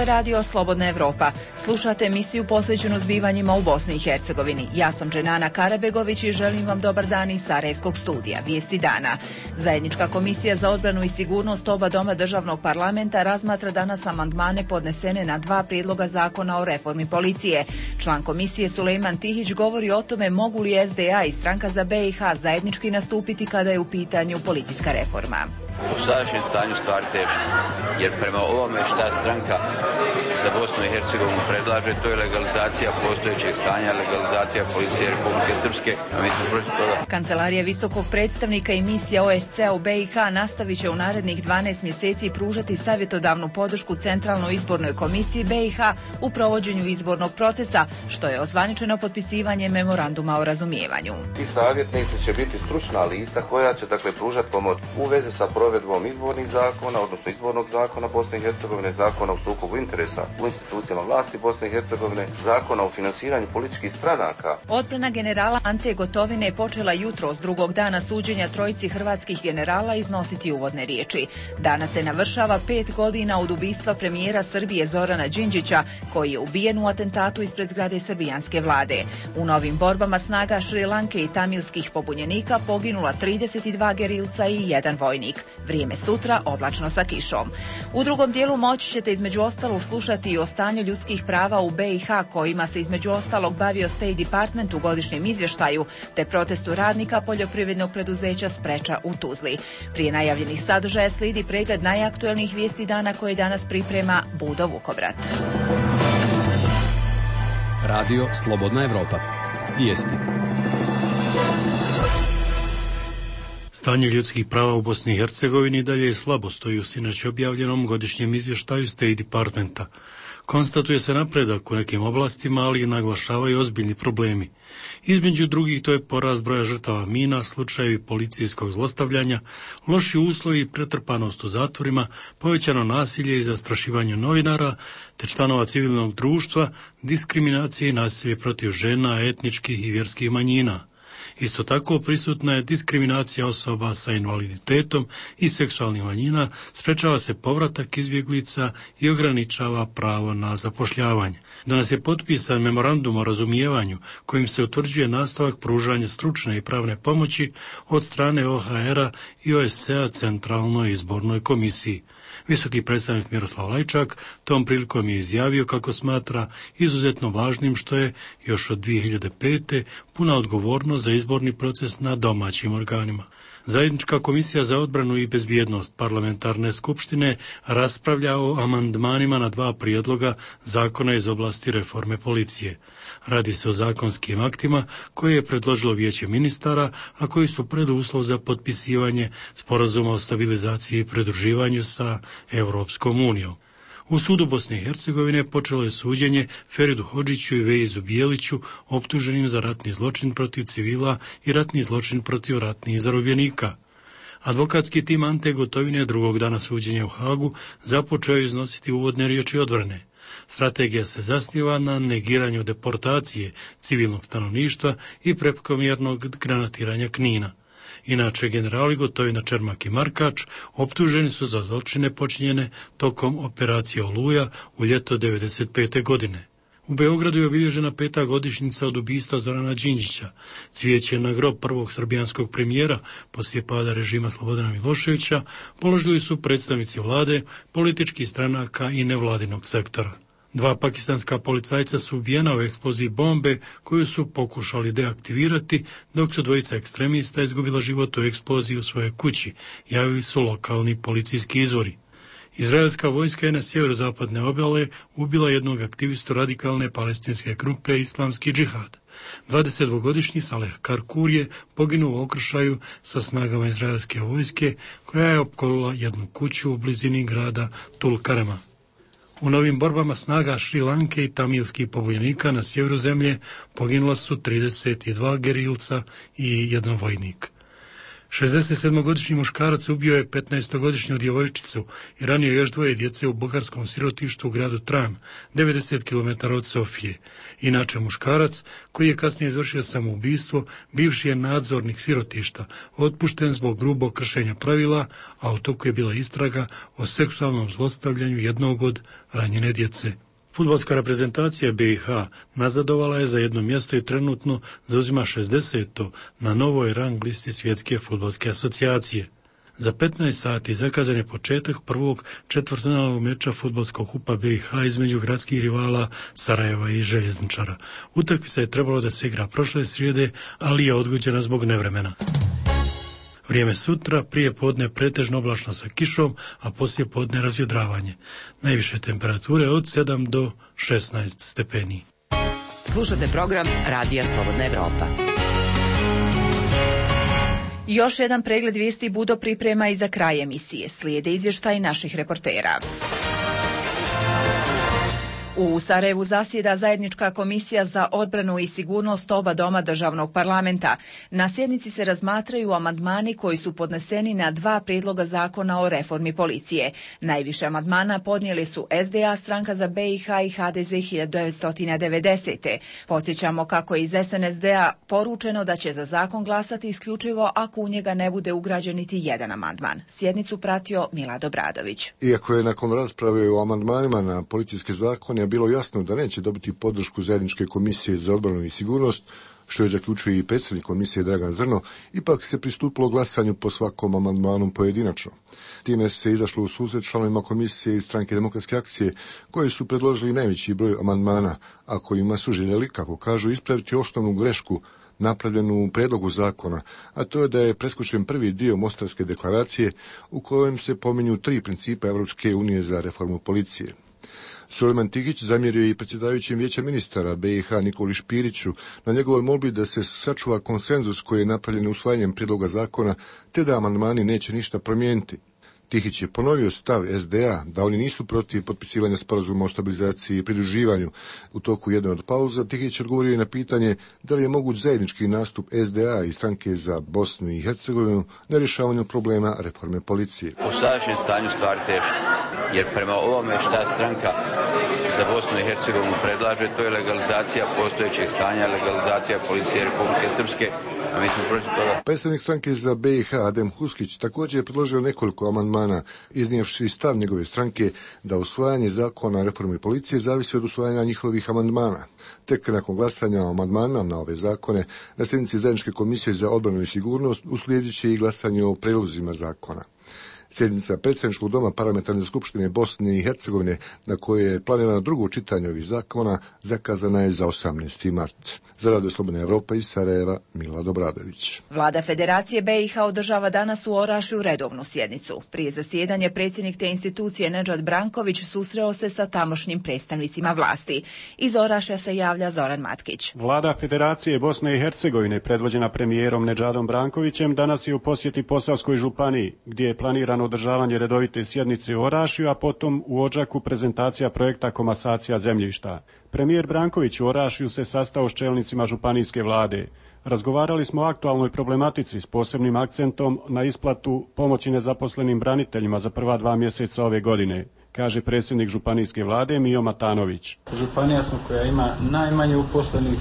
je radio Slobodna Evropa. Slušate emisiju posvećenu zbivanjima u Bosni i Hercegovini. Ja sam Dženana Karabegović i želim vam dobar dan iz Sarajevskog studija. Vijesti dana. Zajednička komisija za odbranu i sigurnost oba doma državnog parlamenta razmatra danas amandmane podnesene na 2 prijedloga zakona o reformi policije. Član komisije Sulejman Tihić govori o tome mogu li SDA i Stranka za BiH zajednički nastupiti kada je u pitanju policijska reforma. U sadašnjem stanju stvar teško, jer prema ovome šta stranka za Bosnu i Hercegovinu predlaže, to je legalizacija postojećeg stanja, legalizacija policije Republike Srpske, a mi smo protiv toga. Kancelarija visokog predstavnika i misija OSCE u BiH nastavit će u narednih 12 mjeseci pružati savjetodavnu podršku Centralnoj izbornoj komisiji BiH u provođenju izbornog procesa, što je ozvaničeno potpisivanjem memoranduma o razumijevanju. Ti savjetnici će biti stručna lica koja će pružati pomoć u vezi sa provedbom izbornih zakona, odnosno izbornog zakona Bosne i Hercegovine, zakona o sukobu interesa u institucijama vlasti Bosne i Hercegovine, zakona o finansiranju političkih stranaka. Odbrana generala Ante Gotovine je počela jutros drugog dana suđenja trojici hrvatskih generala iznositi uvodne riječi. Danas se navršava 5 godina od ubistva premijera Srbije Zorana Đinđića, koji je ubijen u atentatu ispred zgrade srbijanske vlade. U novim borbama snaga Šrilanke i tamilskih pobunjenika poginula 32 gerilca i 1 vojnik. Vrijeme sutra oblačno sa kišom. U drugom dijelu moći ćete između ostalog slušati i o stanju ljudskih prava u BiH, kojima se između ostalog bavio State Department u godišnjem izvještaju, te protestu radnika poljoprivrednog preduzeća Spreča u Tuzli. Prije najavljenih sadržaja slijedi pregled najaktuelnijih vijesti dana koje danas priprema Budo Vukovrat. Radio Slobodna Evropa. Vijesti. Stanje ljudskih prava u Bosni i Hercegovini dalje je slabo, stoji u sinoć objavljenom godišnjem izvještaju State Departmenta. Konstatuje se napredak u nekim oblastima, ali i naglašavaju ozbiljni problemi. Između drugih to je porast broja žrtava mina, slučajevi policijskog zlostavljanja, loši uslovi i pretrpanost u zatvorima, povećano nasilje i zastrašivanje novinara, te članova civilnog društva, diskriminacije i nasilje protiv žena, etničkih i vjerskih manjina. Isto tako prisutna je diskriminacija osoba sa invaliditetom i seksualnih manjina, sprečava se povratak izbjeglica i ograničava pravo na zapošljavanje. Danas je potpisan memorandum o razumijevanju kojim se utvrđuje nastavak pružanja stručne i pravne pomoći od strane OHR-a i OSCE-a Centralnoj izbornoj komisiji. Visoki predstavnik Miroslav Lajčak tom prilikom je izjavio kako smatra izuzetno važnim što je još od 2005. puna odgovornost za izborni proces na domaćim organima. Zajednička komisija za odbranu i bezbjednost parlamentarne skupštine raspravlja o amandmanima na 2 prijedloga zakona iz oblasti reforme policije. Radi se o zakonskim aktima koje je predložilo Vijeće ministara, a koji su preduslov za potpisivanje sporazuma o stabilizaciji i pridruživanju sa Europskom unijom. U sudu Bosne i Hercegovine počelo je suđenje Feridu Hodžiću i Veizu Bijeliću, optuženim za ratni zločin protiv civila i ratni zločin protiv ratnih zarobljenika. Advokatski tim Ante Gotovine drugog dana suđenja u Hagu započeo je iznositi uvodne riječi odbrane. Strategija se zasniva na negiranju deportacije civilnog stanovništva i prekomjernog granatiranja Knina. Inače, generali Gotovina, Čermak i Markač optuženi su za zločine počinjene tokom operacije Oluja u ljeto 1995. godine. U Beogradu je obilježena 5. godišnjica od ubistva Zorana Đinđića. Cvijeće na grob prvog srbijanskog premijera poslije pada režima Slobodana Miloševića položili su predstavnici vlade, političkih stranaka i nevladinog sektora. 2 pakistanska policajca su ubijena u eksploziji bombe koju su pokušali deaktivirati, dok su 2 ekstremista izgubila život u eksploziji u svojoj kući, javili su lokalni policijski izvori. Izraelska vojska je na sjeverozapadne obale ubila jednog aktivistu radikalne palestinske grupe Islamski džihad. 22-godišnji Saleh Karkur je poginuo u okršaju sa snagama izraelske vojske koja je opkolila jednu kuću u blizini grada Tulkarema. U novim borbama snaga Šrilanke i tamilskih pobunjenika na sjeveru zemlje poginula su 32 gerilca i 1 vojnik. 67-godišnji muškarac ubio je 15-godišnju djevojčicu i ranio još 2 djece u bugarskom sirotištu u gradu Tran, 90 km od Sofije. Inače muškarac, koji je kasnije izvršio samoubistvo, bivši je nadzornik sirotišta, otpušten zbog grubog kršenja pravila, a u toku je bila istraga o seksualnom zlostavljanju jednog od ranjene djece. Fudbalska reprezentacija BiH nazadovala je za jedno mjesto i trenutno zauzima 60. na novoj rang listi Svjetske fudbalske asocijacije. Za 15 sati zakazan je početak prvog četvrtfinalnog meča fudbalskog kupa BiH između gradskih rivala Sarajeva i Željezničara. Utakmica je trebalo da se igra prošle srijede, ali je odgođena zbog nevremena. Vrijeme sutra, prije podne pretežno oblačno sa kišom, a poslije podne razvjedravanje. Najviše temperature od 7 do 16 stepeni. Slušate program Radija Slobodna Evropa. Još jedan pregled vijesti Budo priprema i za kraj emisije. Slijede izvještaj naših reportera. U Sarajevu zasjeda zajednička komisija za odbranu i sigurnost oba doma državnog parlamenta. Na sjednici se razmatraju amandmani koji su podneseni na 2 prijedloga zakona o reformi policije. Najviše amandmana podnijeli su SDA, Stranka za BiH i HDZ 1990. Podsjećamo kako je iz SNSD-a poručeno da će za zakon glasati isključivo ako u njega ne bude ugrađen niti jedan amandman. Sjednicu pratio Milad Obradović. Iako je nakon rasprave o amandmanima na policijske zakone bilo jasno da neće dobiti podršku zajedničke komisije za odbranu i sigurnost, što je zaključio i predsjednik komisije Dragan Zrno, ipak se pristupilo glasanju po svakom amandmanu pojedinačno. Time se izašlo u susret članovima komisije iz Stranke demokratske akcije, koji su predložili najveći broj amandmana, a kojima su željeli, kako kažu, ispraviti osnovnu grešku napravljenu u prijedlogu zakona, a to je da je preskočen prvi dio Mostarske deklaracije u kojem se pominju 3 principa Europske unije za reformu policije. Sulejman Tihić zamjerio i predsjedavajućim vijeća ministara BiH Nikoli Špiriću na njegovoj molbi da se sačuva konsenzus koji je napravljen usvajanjem prijedloga zakona, te da amandmani neće ništa promijeniti. Tihić je ponovio stav SDA da oni nisu protiv potpisivanja sporazuma o stabilizaciji i pridruživanju. U toku jedne od pauza Tihić odgovorio i na pitanje da li je moguć zajednički nastup SDA i Stranke za Bosnu i Hercegovinu na rješavanju problema reforme policije. U sadašnjem stanju stvari teško, jer prema ovome šta stranka za Bosnu i Hercegovinu predlaže, to je legalizacija postojećeg stanja, legalizacija policije Republike Srpske, a mi smo protiv toga. Predstavnik Stranke za BiH Adem Huskić također je predložio nekoliko amandmana, iznijevši stav njegove stranke da usvajanje zakona o reformi policije zavisi od usvajanja njihovih amandmana. Tek nakon glasanja o amandmanima na ove zakone na sjednici zajedničke komisije za odbranu i sigurnost uslijedit će i glasanje o prijedlozima zakona. Sjednica predsjedničkog doma Parlamentarne skupštine Bosne i Hercegovine, na kojoj je planirano drugo čitanje ovih zakona, zakazana je za 18. mart. Za Radio Slobodna Evropa iz Sarajeva, Milad Obradović. Vlada Federacije BiH održava danas u Orašju redovnu sjednicu. Prije zasjedanja predsjednik te institucije Nedžad Branković susreo se sa tamošnjim predstavnicima vlasti. Iz Orašja se javlja Zoran Matkić. Vlada Federacije Bosne i Hercegovine, predvođena premijerom Nedžadom Brankovićem, danas je u posjeti Posavskoj županiji, gdje je planirano održavanje redovite sjednice u Orašju, a potom u Odžaku prezentacija projekta komasacija zemljišta. Premijer Branković u Orašju se sastao s čelnicima županijske vlade. Razgovarali smo o aktualnoj problematici s posebnim akcentom na isplatu pomoći nezaposlenim braniteljima za prva 2 mjeseca ove godine, kaže predsjednik županijske vlade Mijo Matanović. Županija smo koja ima najmanje uposlenih,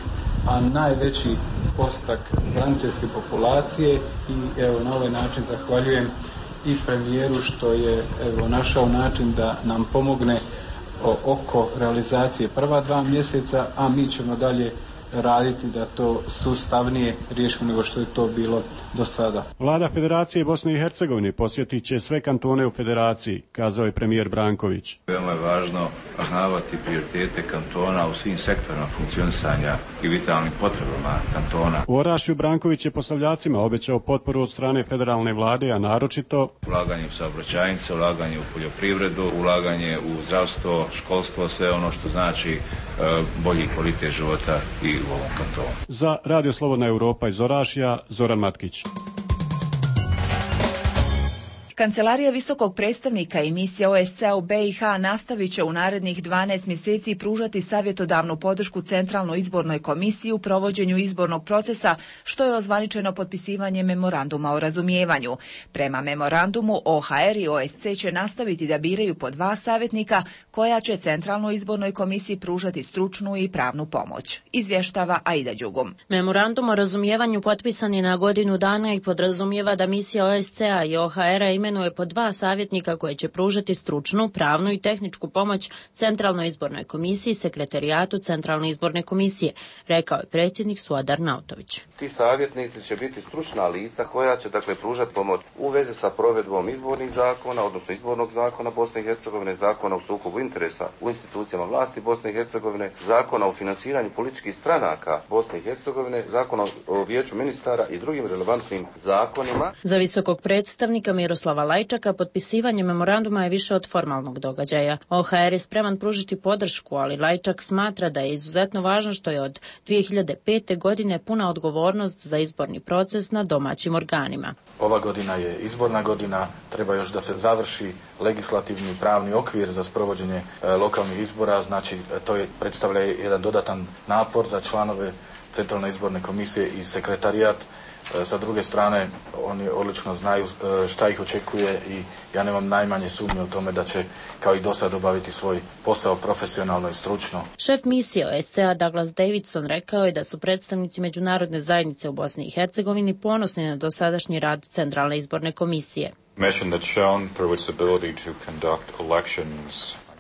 a najveći postotak braniteljske populacije i evo na ovaj način zahvaljujem i premijeru što je našao način da nam pomogne oko realizacije prva 2 mjeseca, a mi ćemo dalje raditi da to sustavnije riješimo nego što je to bilo do sada. Vlada Federacije Bosne i Hercegovine posjetit će sve kantone u federaciji, kazao je premijer Branković. Veoma je važno poznavati prioritete kantona u svim sektorima funkcionisanja i vitalnim potrebama kantona. U Orašju Branković je posavljacima obećao potporu od strane federalne vlade, a naročito ulaganje u saobraćajnice, ulaganje u poljoprivredu, ulaganje u zdravstvo, školstvo, sve ono što znači bolji kvalitet života i u ovom kantonu. Za Radio Slobodna Europa iz Orašja, Zoran Matkić. Kancelarija visokog predstavnika i misija OSCE u BiH nastavit će u narednih 12 mjeseci pružati savjetodavnu podršku Centralnoj izbornoj komisiji u provođenju izbornog procesa, što je ozvaničeno potpisivanjem memoranduma o razumijevanju. Prema memorandumu, OHR i OSCE će nastaviti da biraju po 2 savjetnika koja će Centralnoj izbornoj komisiji pružati stručnu i pravnu pomoć. Izvještava Aida Đugum. Memorandum o razumijevanju potpisan je na godinu dana i podrazumijeva da misija OSCE-a i OHR-a imenuje po 2 savjetnika koje će pružati stručnu, pravnu i tehničku pomoć Centralnoj izbornoj komisiji i sekretarijatu Centralne izborne komisije, rekao je predsjednik Suadar Nautović. Ti savjetnici će biti stručna lica koja će pružati pomoć u vezi sa provedbom izbornih zakona, odnosno izbornog zakona Bosne i Hercegovine, zakona o sukobu interesa u institucijama vlasti Bosne i Hercegovine, zakona o finansiranju političkih stranaka Bosne i Hercegovine, zakona o vijeću ministara i drugim relevantnim zakonima. Za visokog predstavnika Miroslava Lajčaka potpisivanje memoranduma je više od formalnog događaja. OHR je spreman pružiti podršku, ali Lajčak smatra da je izuzetno važno što je od 2005. godine puna odgovornost za izborni proces na domaćim organima. Ova godina je izborna godina, treba još da se završi legislativni pravni okvir za sprovođenje lokalnih izbora, znači to predstavlja jedan dodatan napor za članove Centralne izborne komisije i sekretarijat. Sa druge strane, oni odlično znaju šta ih očekuje i ja nemam najmanje sumnje u tome da će kao i do sad obaviti svoj posao profesionalno i stručno. Šef misije OSCE-a Douglas Davidson rekao je da su predstavnici međunarodne zajednice u Bosni i Hercegovini ponosni na dosadašnji rad Centralne izborne komisije.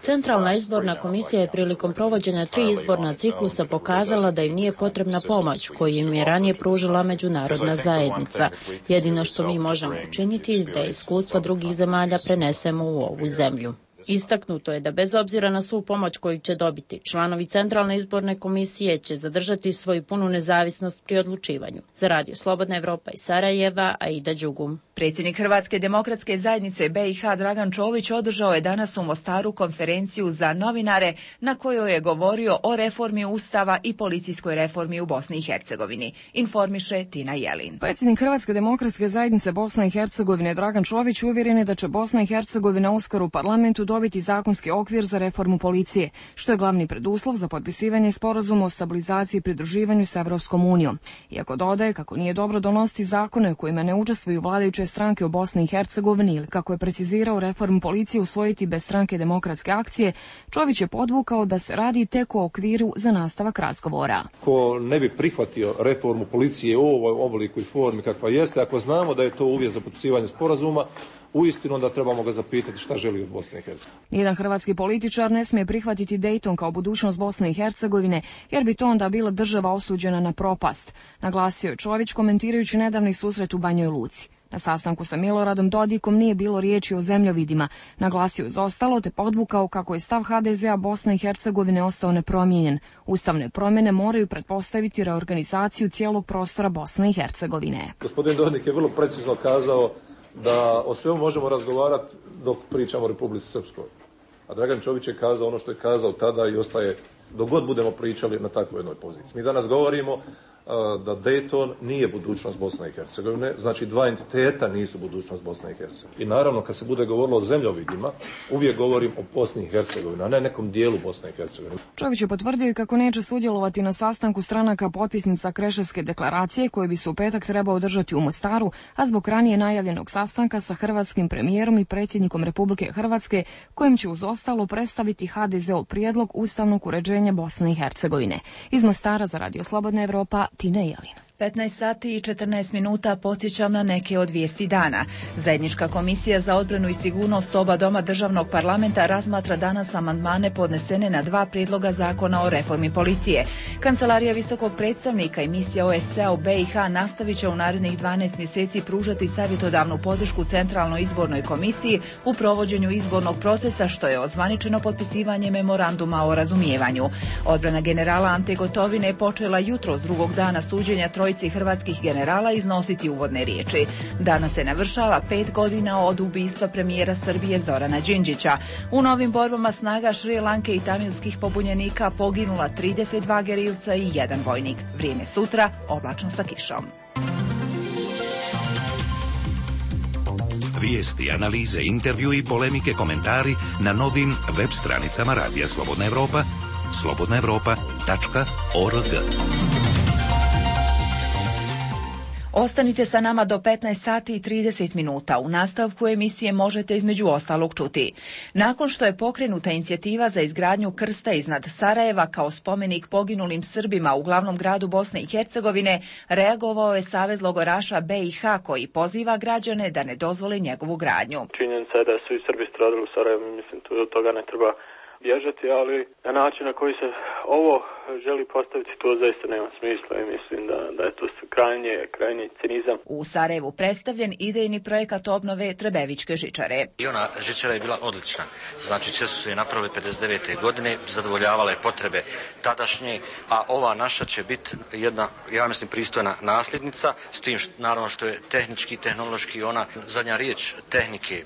Centralna izborna komisija je prilikom provođenja 3 izborna ciklusa pokazala da im nije potrebna pomoć koju im je ranije pružila međunarodna zajednica. Jedino što mi možemo učiniti je da iskustva drugih zemalja prenesemo u ovu zemlju. Istaknuto je da bez obzira na svu pomoć koju će dobiti, članovi Centralne izborne komisije će zadržati svoju punu nezavisnost pri odlučivanju. Za Radio Slobodna Evropa iz Sarajeva, Aida Đugum. Predsjednik Hrvatske demokratske zajednice BiH Dragan Čović održao je danas u Mostaru konferenciju za novinare na kojoj je govorio o reformi Ustava i policijskoj reformi u Bosni i Hercegovini. Informiše Tina Jelin. Predsjednik Hrvatske demokratske zajednice Bosne i Hercegovine Dragan Čović uvjeren je da će Bosna i Hercegovina uskoro u parlamentu dobiti zakonski okvir za reformu policije, što je glavni preduslov za potpisivanje sporazuma o stabilizaciji i pridruživanju s Evropskom unijom. Iako dodaje kako nije dobro donositi zakone u kojima ne učestvuju vladajuće stranke u Bosni i Hercegovini ili kako je precizirao reformu policije usvojiti bez stranke Demokratske akcije, Čović je podvukao da se radi tek o okviru za nastavak razgovora. Ko ne bi prihvatio reformu policije u ovoj obliku i formi kakva jeste, ako znamo da je to uvjet za potpisivanje sporazuma, uistinu onda trebamo ga zapitati šta želi od Bosne i Hercegovine. Nijedan hrvatski političar ne smije prihvatiti Dayton kao budućnost Bosne i Hercegovine, jer bi to onda bila država osuđena na propast, naglasio je Čović komentirajući nedavni susret u Banjoj Luci. Na sastanku sa Miloradom Dodikom nije bilo riječi o zemljovidima, naglasio uz ostalo te podvukao kako je stav HDZ-a Bosne i Hercegovine ostao nepromijenjen. Ustavne promjene moraju pretpostaviti reorganizaciju cijelog prostora Bosne i Hercegovine. Gospodin Dodik je vrlo precizno kazao da o svemu možemo razgovarati dok pričamo o Republici Srpskoj. A Dragan Čović je kazao ono što je kazao tada i ostaje dok god budemo pričali na takvoj jednoj poziciji. Mi danas govorimo da Dayton nije budućnost Bosne i Hercegovine, znači 2 entiteta nisu budućnost Bosne i Hercegovine. I naravno kad se bude govorilo o zemljovidima, uvijek govorim o Bosni i Hercegovini, a ne nekom dijelu Bosne i Hercegovine. Čović je potvrdio i kako neće sudjelovati na sastanku stranaka potpisnica Kreševske deklaracije koji bi se u petak trebao održati u Mostaru, a zbog ranije najavljenog sastanka sa hrvatskim premijerom i predsjednikom Republike Hrvatske, kojim će uz ostalo predstaviti HDZ-ov prijedlog ustavnog uređenja Bosne i Hercegovine. Iz Mostara za Radio Slobodna Evropa, Tina Jelin. 15 sati i 14 minuta podsjećam na neke od vijesti dana. Zajednička komisija za odbranu i sigurnost oba doma državnog parlamenta razmatra danas amandmane podnesene na 2 prijedloga zakona o reformi policije. Kancelarija visokog predstavnika i misija OSCE-a u BiH nastavit će u narednih 12 mjeseci pružati savjetodavnu podršku Centralnoj izbornoj komisiji u provođenju izbornog procesa, što je ozvaničeno potpisivanje memoranduma o razumijevanju. Odbrana generala Ante Gotovine počela jutros drugog dana suđenja trojici hrvatskih generala iznositi uvodne riječi. Danas se navršava 5 godina od ubistva premijera Srbije Zorana Đinđića. U novim borbama snaga Šri Lanke i tamilskih pobunjenika poginula 32 gerilca i 1 vojnik. Vrijeme sutra oblačno sa kišom. Vijesti, analize, intervju i polemike, komentari na novim web stranicama Radija Slobodna Evropa, slobodnaevropa.org. Ostanite sa nama do 15 sati i 30 minuta. U nastavku emisije možete između ostalog čuti. Nakon što je pokrenuta inicijativa za izgradnju krsta iznad Sarajeva kao spomenik poginulim Srbima u glavnom gradu Bosne i Hercegovine, reagovao je Savez logoraša BiH koji poziva građane da ne dozvole njegovu gradnju. Činjenica je da su i Srbi stradali u Sarajevu, mislim, od toga ne treba bježati, ali na način na koji se ovo želi postaviti, to zaista nema smisla i mislim da je to krajnji cinizam. U Sarajevu predstavljen idejni projekat obnove Trebevićke žičare. I ona žičara je bila odlična. Znači, sve su se je napravili 59. godine, zadovoljavale potrebe tadašnje, a ova naša će biti jedna, ja mislim, pristojna nasljednica, s tim naravno što je tehnički, tehnološki ona zadnja riječ tehnike.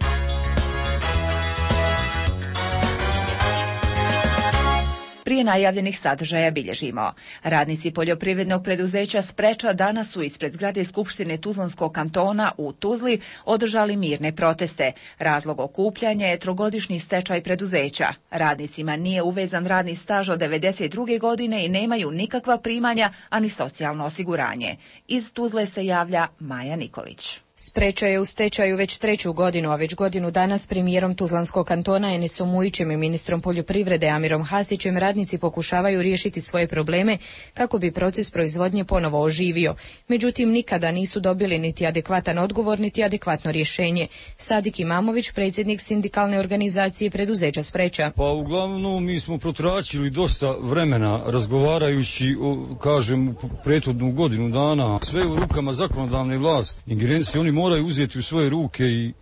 Prije najavljenih sadržaja bilježimo. Radnici poljoprivrednog preduzeća Spreča danas su ispred zgrade Skupštine Tuzlanskog kantona u Tuzli održali mirne proteste. Razlog okupljanja je trogodišnji stečaj preduzeća. Radnicima nije uvezan radni staž od 92. godine i nemaju nikakva primanja, ani socijalno osiguranje. Iz Tuzle se javlja Maja Nikolić. Spreča je u stečaju već 3. godinu, a već godinu dana s premijerom Tuzlanskog kantona Enisom Mujićem i ministrom poljoprivrede Amirom Hasićem radnici pokušavaju riješiti svoje probleme kako bi proces proizvodnje ponovo oživio. Međutim, nikada nisu dobili niti adekvatan odgovor, niti adekvatno rješenje. Sadik Imamović, predsjednik sindikalne organizacije preduzeća Spreča. Pa uglavnom mi smo protračili dosta vremena razgovarajući, kažem, prethodnu godinu dana. Sve u rukama zakonodavne vlasti. Ingerencije oni moraju uzeti u svoje ruke i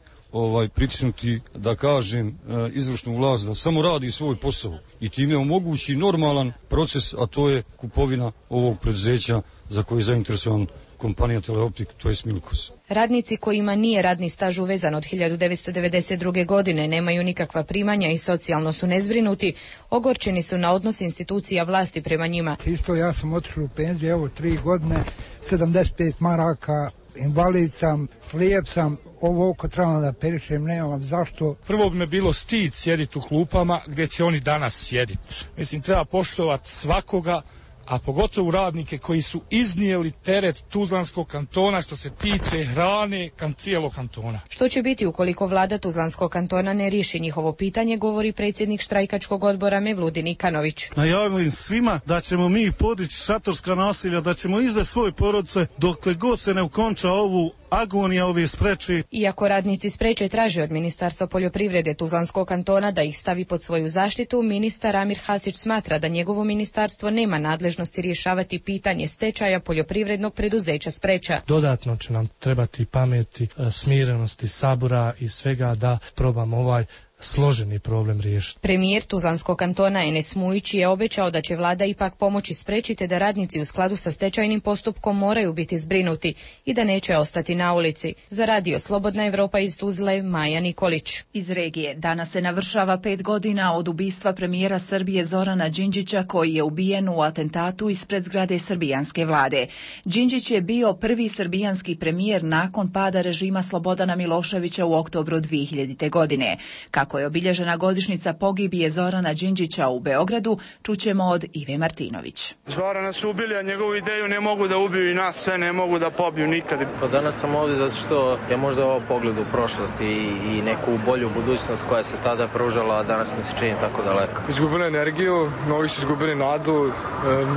pritisnuti, da kažem, izvršnu vlast da samo radi svoj posao i time omogući normalan proces, a to je kupovina ovog preduzeća za koje je zainteresovan kompanija Teleoptik, to je Smilkos. Radnici kojima nije radni staž uvezan od 1992. godine nemaju nikakva primanja i socijalno su nezbrinuti, ogorčeni su na odnos institucija vlasti prema njima. Isto ja sam otišao u penziju, evo 3 godine, 75 maraka, invalid sam, slijep sam, ovo oko trebam da perišem, nemam zašto. Prvo bi me bilo stid sjediti u klupama gdje će oni danas sjediti. Mislim, treba poštovati svakoga, a pogotovo radnike koji su iznijeli teret Tuzlanskog kantona što se tiče hrane cijelog kantona. Što će biti ukoliko vlada Tuzlanskog kantona ne riješi njihovo pitanje, govori predsjednik štrajkačkog odbora Mevludin Ikanović. Najavim svima da ćemo mi podići šatorska nasilja, da ćemo izvesti svoje porodice dokle god se ne ukonča ovu agonija ove Spreče. Iako radnici Spreče traže od Ministarstva poljoprivrede Tuzlanskog kantona da ih stavi pod svoju zaštitu, ministar Amir Hasić smatra da njegovo ministarstvo nema nadležnosti rješavati pitanje stečaja poljoprivrednog preduzeća Spreča. Dodatno će nam trebati pameti, smirenosti, sabora i svega da probamo ovaj složeni problem riješiti. Premijer Tuzlanskog kantona Enes Mujić je obećao da će vlada ipak pomoći spriječiti da radnici u skladu sa stečajnim postupkom moraju biti zbrinuti i da neće ostati na ulici. Za Radio Slobodna Evropa iz Tuzle, Maja Nikolić. Iz regije danas se navršava 5 godina od ubistva premijera Srbije Zorana Đinđića koji je ubijen u atentatu ispred zgrade srbijanske vlade. Đinđić je bio prvi srbijanski premijer nakon pada režima Slobodana Miloševića u oktobru 2000. godine. Kako je obilježena godišnjica pogibije Zorana Đinđića u Beogradu, čućemo od Ive Martinović. Zorana su ubili, a njegovu ideju ne mogu da ubiju i nas sve ne mogu da pobiju nikad. Pa danas sam ovdje zato što je možda ovo pogled u prošlost i neku bolju budućnost koja se tada pružala, a danas mi se čini tako daleko. Izgubili energiju, mnogi su izgubili nadu,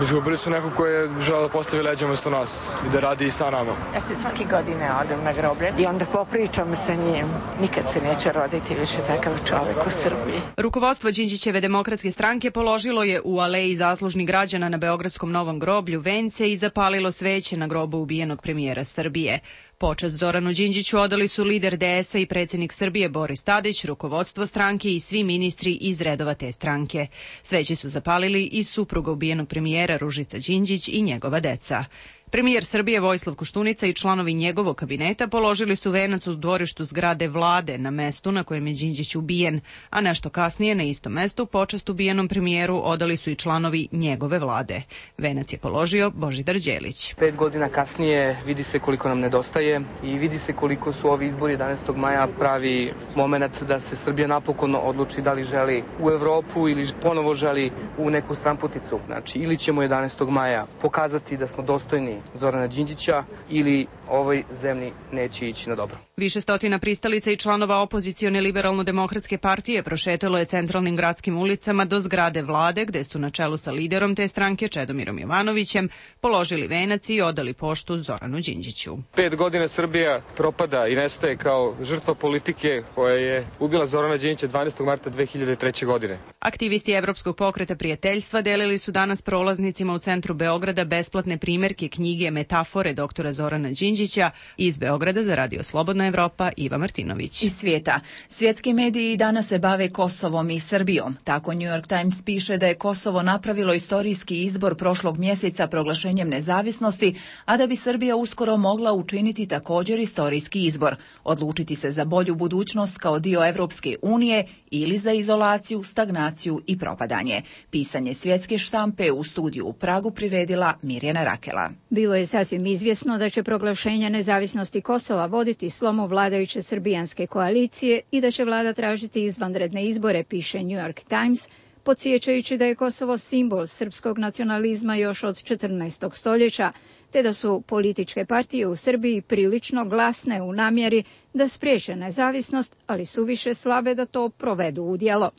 izgubili su neko ko je želeo da postavi leđa umjesto nas i da radi i sa nama. Ja se svake godine odem na groblje i onda popričam sa njim. Nikad se neće roditi više takav čovjek u Srbiji. Rukovodstvo Đinđićeve demokratske stranke položilo je u aleji zaslužnih građana na Beogradskom Novom groblju vence i zapalilo sveće na grobu ubijenog premijera Srbije. Počast Zoranu Đinđiću odali su lider DS-a i predsjednik Srbije Boris Tadić, rukovodstvo stranke i svi ministri iz redova te stranke. Sveće su zapalili i supruga ubijenog premijera Ružica Đinđić i njegova deca. Premijer Srbije Vojislav Koštunica i članovi njegovog kabineta položili su venac u dvorištu zgrade vlade na mestu na kojem je Đinđić ubijen, a nešto kasnije na istom mestu počast ubijenom premijeru odali su i članovi njegove vlade. Venac je položio Božidar Đelić. 5 godina kasnije vidi se koliko nam nedostaje je i vidi se koliko su ovi izbori 11. maja pravi moment da se Srbija napokon odluči da li želi u Evropu ili ponovo želi u neku stranputicu. Znači, ili ćemo 11. maja pokazati da smo dostojni Zorana Đinđića ili ovoj zemlji neće ići na dobro. Više stotina pristalica i članova opozicione liberalno-demokratske partije prošetalo je centralnim gradskim ulicama do zgrade vlade, gde su na čelu sa liderom te stranke Čedomirom Jovanovićem položili venac i odali poštu Zoranu Đinđiću. 5 godina Srbija propada i nestaje kao žrtva politike koja je ubila Zorana Đinđića 12. marta 2003. godine. Aktivisti Evropskog pokreta prijateljstva delili su danas prolaznicima u centru Beograda besplatne primerke knjige Metafore doktora Zorana Đinđića. Iz Beograda za Radio Slobodna Evropa Iva Martinović. Iz svijeta. Svjetski mediji danas se bave Kosovom i Srbijom. Tako New York Times piše da je Kosovo napravilo istorijski izbor prošlog mjeseca proglašenjem nezavisnosti, a da bi Srbija uskoro mogla učiniti također istorijski izbor, odlučiti se za bolju budućnost kao dio Evropske unije ili za izolaciju, stagnaciju i propadanje. Pisanje svjetske štampe u studiju u Pragu priredila Mirjana Rakela. Bilo je sasvim izvjesno da će proglašenje nezavisnosti Kosova voditi slomu vladajuće srbijanske koalicije i da će vlada tražiti izvanredne izbore, piše New York Times, podsjećajući da je Kosovo simbol srpskog nacionalizma još od 14. stoljeća, te da su političke partije u Srbiji prilično glasne u namjeri da spriječe nezavisnost, ali su više slabe da to provedu u djelo.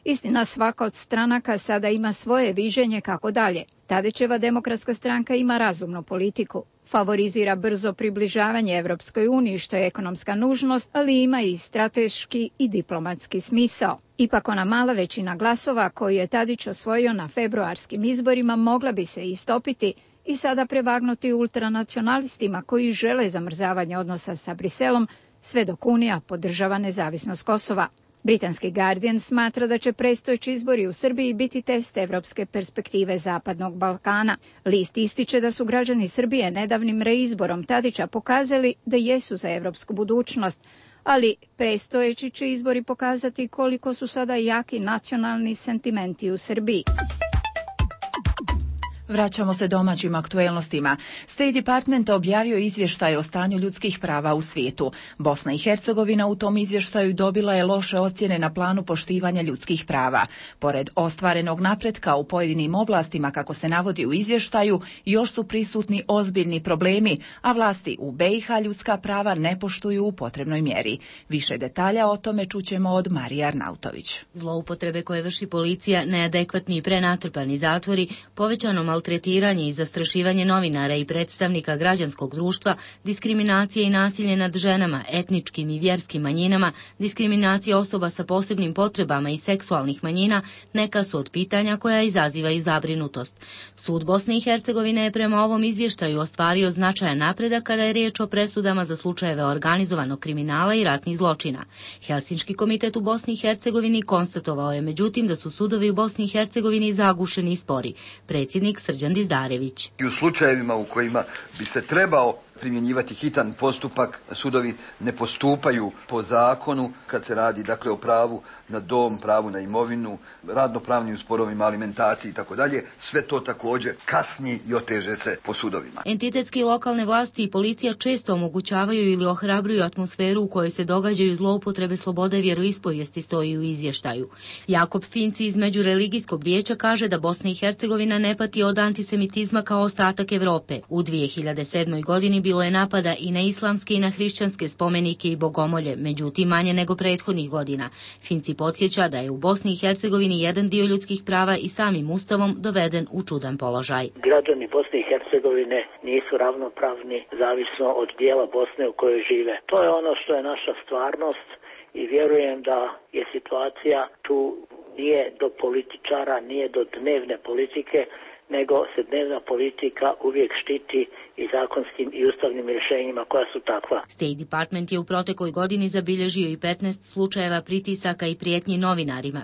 Istina, svaka od stranaka sada ima svoje viđenje kako dalje. Tadićeva demokratska stranka ima razumnu politiku. Favorizira brzo približavanje Evropskoj uniji, što je ekonomska nužnost, ali ima i strateški i diplomatski smisao. Ipak ona mala većina glasova koju je Tadić osvojio na februarskim izborima mogla bi se istopiti i sada prevagnuti ultranacionalistima koji žele zamrzavanje odnosa sa Briselom, sve dok Unija podržava nezavisnost Kosova. Britanski Guardian smatra da će predstojeći izbori u Srbiji biti test evropske perspektive Zapadnog Balkana. List ističe da su građani Srbije nedavnim reizborom Tadića pokazali da jesu za evropsku budućnost, ali predstojeći će izbori pokazati koliko su sada jaki nacionalni sentimenti u Srbiji. Vraćamo se domaćim aktuelnostima. State Department objavio izvještaj o stanju ljudskih prava u svijetu. Bosna i Hercegovina u tom izvještaju dobila je loše ocjene na planu poštivanja ljudskih prava. Pored ostvarenog napretka u pojedinim oblastima, kako se navodi u izvještaju, još su prisutni ozbiljni problemi, a vlasti u BiH ljudska prava ne poštuju u potrebnoj mjeri. Više detalja o tome čućemo od Marije Arnautović. Zloupotrebe koje vrši policija, neadekvatni i prenatrpani zatvori, povećano maltretiranje i zastrašivanje novinara i predstavnika građanskog društva, diskriminacija i nasilje nad ženama, etničkim i vjerskim manjinama, diskriminacija osoba sa posebnim potrebama i seksualnih manjina neka su od pitanja koja izazivaju zabrinutost. Sud Bosne i Hercegovine je prema ovom izvještaju ostvario značajan napredak kada je riječ o presudama za slučajeve organizovanog kriminala i ratnih zločina. Helsinški komitet u Bosni i Hercegovini konstatovao je međutim da su sudovi u Bosni i Hercegovini zagušeni i spori. Predsjednik Srđan Dizdarević. I u slučajevima u kojima bi se trebao primjenjivati hitan postupak, sudovi ne postupaju po zakonu kad se radi dakle o pravu na dom, pravu na imovinu, radnopravnim sporovima, alimentaciji i tako dalje. Sve to također kasni i oteže se po sudovima. Entitetski lokalne vlasti i policija često omogućavaju ili ohrabruju atmosferu u kojoj se događaju zloupotrebe slobode vjeroispovijesti, stoji u izvještaju. Jakob Finci iz Međureligijskog vijeća kaže da Bosna i Hercegovina ne pati od antisemitizma kao ostatak Evrope. U 2007. godini bilo je napada i na islamske i na hrišćanske spomenike i bogomolje, međutim manje nego prethodnih godina. Finci podsjeća da je u Bosni i Hercegovini jedan dio ljudskih prava i samim ustavom doveden u čudan položaj. Građani Bosne i Hercegovine nisu ravnopravni zavisno od dijela Bosne u kojoj žive. To je ono što je naša stvarnost i vjerujem da je situacija tu nije do političara, nije do dnevne politike, nego se dnevna politika uvijek štiti i zakonskim i ustavnim rješenjima koja su takva. State Department je u protekloj godini zabilježio i 15 slučajeva pritisaka i prijetnji novinarima.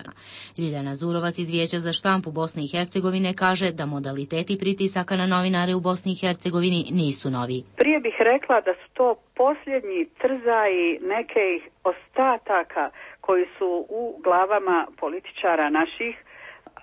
Ljiljana Zurovac iz Vijeća za štampu Bosne i Hercegovine kaže da modaliteti pritisaka na novinare u Bosni i Hercegovini nisu novi. Prije bih rekla da su to posljednji trzaji nekih ostataka koji su u glavama političara naših,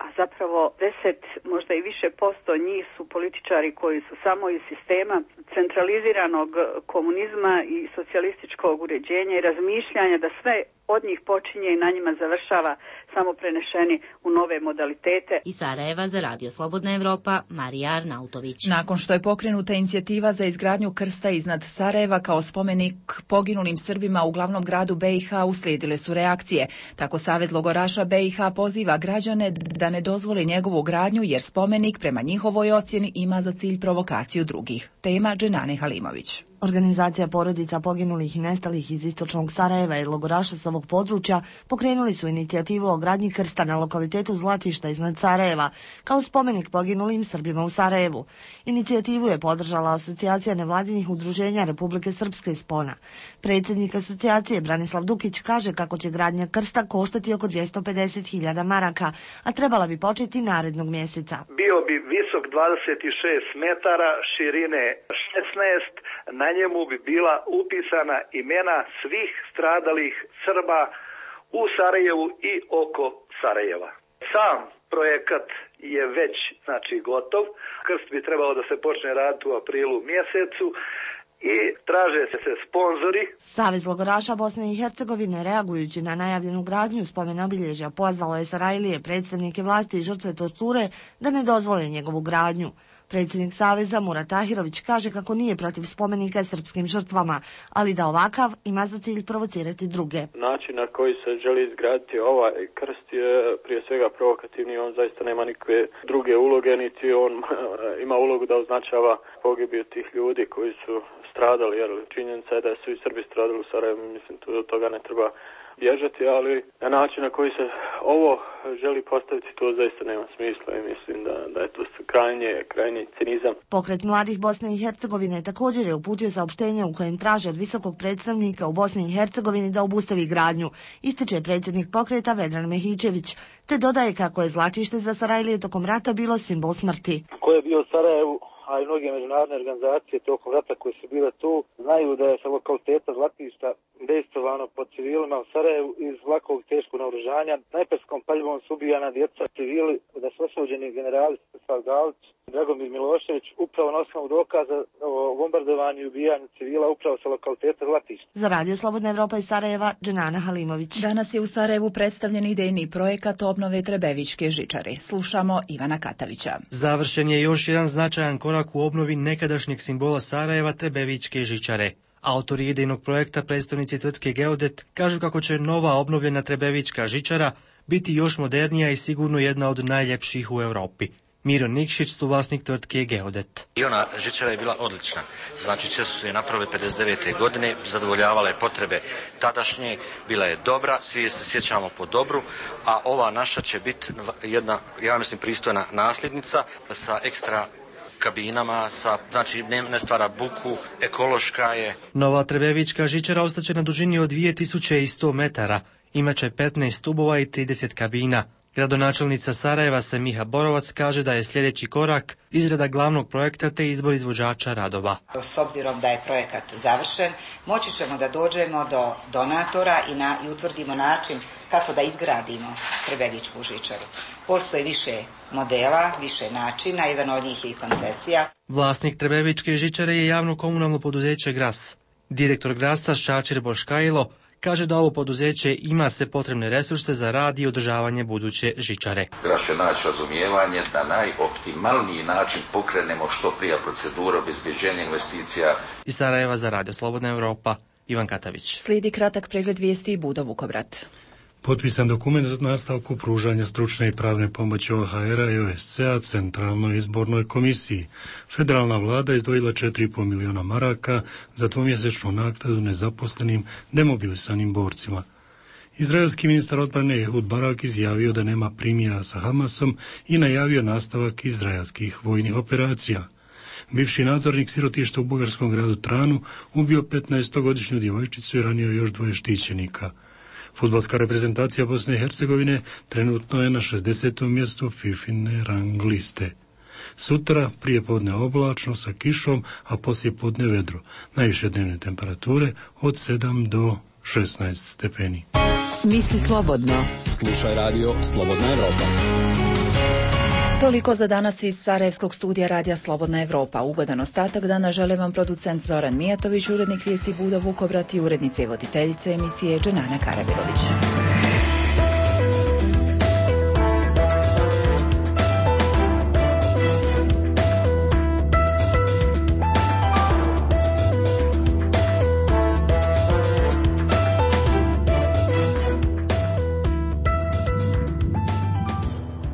a zapravo 10, možda i više posto njih su političari koji su samo iz sistema centraliziranog komunizma i socijalističkog uređenja i razmišljanja da sve od njih počinje i na njima završava, samo prenešeni u nove modalitete. Iz Sarajeva za Radio Slobodna Evropa, Marija Arnautović. Nakon što je pokrenuta inicijativa za izgradnju krsta iznad Sarajeva kao spomenik poginulim Srbima u glavnom gradu BiH, uslijedile su reakcije. Tako Savez logoraša BiH poziva građane da ne dozvole njegovu gradnju jer spomenik prema njihovoj ocjeni ima za cilj provokaciju drugih. Tema Dženane Halimović. Organizacija porodica poginulih i nestalih iz istočnog Sarajeva i logoraša sa ovog područja pokrenuli su inicijativu o gradnji krsta na lokalitetu Zlatišta iznad Sarajeva, kao spomenik poginulim Srbima u Sarajevu. Inicijativu je podržala Asocijacija nevladinih udruženja Republike Srpske iz Spona. Predsjednik asocijacije Branislav Dukić kaže kako će gradnja krsta koštati oko 250.000 maraka, a trebala bi početi narednog mjeseca. Bio bi visok 26 metara, širine 16, na njemu bi bila upisana imena svih stradalih Srba u Sarajevu i oko Sarajeva. Sam projekat je već gotov. Krst bi trebao da se počne raditi u aprilu mjesecu i traže se sponzori. Savez logoraša Bosne i Hercegovine, reagujući na najavljenu gradnju spomen obilježja, pozvalo je Sarajlije, predstavnike vlasti i žrtve torture da ne dozvole njegovu gradnju. Predsjednik Saveza Murat Tahirović kaže kako nije protiv spomenika srpskim žrtvama, ali da ovakav ima za cilj provocirati druge. Način na koji se želi izgraditi ovaj krst je prije svega provokativni, on zaista nema nikakve druge uloge, niti on ima ulogu da označava pogibiju tih ljudi koji su stradali, jer činjenica je da su i Srbi stradali u Sarajevu, mislim od toga ne treba bježati, ali na način na koji se ovo želi postaviti, to zaista nema smisla i mislim da je to krajnji cinizam. Pokret mladih Bosne i Hercegovine također je uputio saopštenje u kojem traže od visokog predstavnika u Bosni i Hercegovini da obustavi gradnju, ističe predsjednik pokreta Vedran Mehićević, te dodaje kako je Zlatište za Sarajlije tokom rata bilo simbol smrti. Ko je bio u Sarajevu, a i mnoge međunarodne organizacije tokom rata koje su bile tu, znaju da je sa lokaliteta Zlatišta dejstvovano pod civilima u Sarajevu iz lakog teškog naoružanja. Snajperskom paljbom su ubijana djeca civili, da su osuđeni generali Stefan Galić i Dragomir Milošević upravo na osnovu dokaza o bombardovanju i ubijanju civila upravo sa lokaliteta Zlatišta. Za Radio Slobodna Evropa iz Sarajeva, Dženana Halimović. Danas je u Sarajevu predstavljen idejni projekat obnove Trebevićke žičare. Slušamo Ivana Katavića. Završen je još jedan značajan korak u obnovi nekadašnjeg simbola Sarajeva, Trebevićke žičare. Autori idejnog projekta, predstavnici tvrtke Geodet, kažu kako će nova obnovljena Trebevićka žičara biti još modernija i sigurno jedna od najljepših u Europi. Miro Nikšić, suvlasnik tvrtke Geodet. I ona žičara je bila odlična. Znači, često su je napravili 59. godine, zadovoljavala je potrebe tadašnje, bila je dobra, svi se sjećamo po dobru, a ova naša će biti jedna, ja mislim, pristojna nasljednica sa ekstra kabinama, znači ne stvara buku, ekološka je. Nova Trebevićka žičara ostaće na dužini od 2100 metara, imaće 15 stubova i 30 kabina. Gradonačelnica Sarajeva Semiha Borovac kaže da je sljedeći korak izrada glavnog projekta te izbor izvođača radova. S obzirom da je projekat završen, moći ćemo da dođemo do donatora i utvrdimo način kako da izgradimo Trebevićku žičaru. Postoji više modela, više načina, jedan od njih je i koncesija. Vlasnik Trebevićke žičare je javno komunalno poduzeće Gras. Direktor Grasa Šačir Boškajlo kaže da ovo poduzeće ima sve potrebne resurse za rad i održavanje buduće žičare. Gras će naći razumijevanje da najoptimalniji način pokrenemo što prije proceduru obezbeđenja investicija. Iz Sarajeva za Radio Slobodna Evropa, Ivan Katavić. Slijedi kratak pregled vijesti Budo Vukovrat. Potpisan dokument o nastavku pružanja stručne i pravne pomoći OHR-a i OSCE-a Centralnoj izbornoj komisiji. Federalna vlada izdvojila 4,5 miliona maraka za dvomjesečnu naknadu nezaposlenim demobilisanim borcima. Izraelski ministar odbrane Ehud Barak izjavio da nema primjera sa Hamasom i najavio nastavak izraelskih vojnih operacija. Bivši nadzornik sirotišta u bugarskom gradu Tranu ubio 15-godišnju djevojčicu i ranio još 2 štićenika. Fudbalska reprezentacija Bosne i Hercegovine trenutno je na 60. mjestu FIFIne rang liste. Sutra prije podne oblačno sa kišom, a poslije podne vedro. Najviše dnevne temperature od 7 do 16 stepeni. Misli slobodno. Slušaj radio Slobodna Evropa. Toliko za danas iz Sarajevskog studija Radija Slobodna Evropa. Ugodan ostatak dana žele vam producent Zoran Mijatović, urednik vijesti Budo Vukobrati, urednice i voditeljice emisije Dženana Karabilović.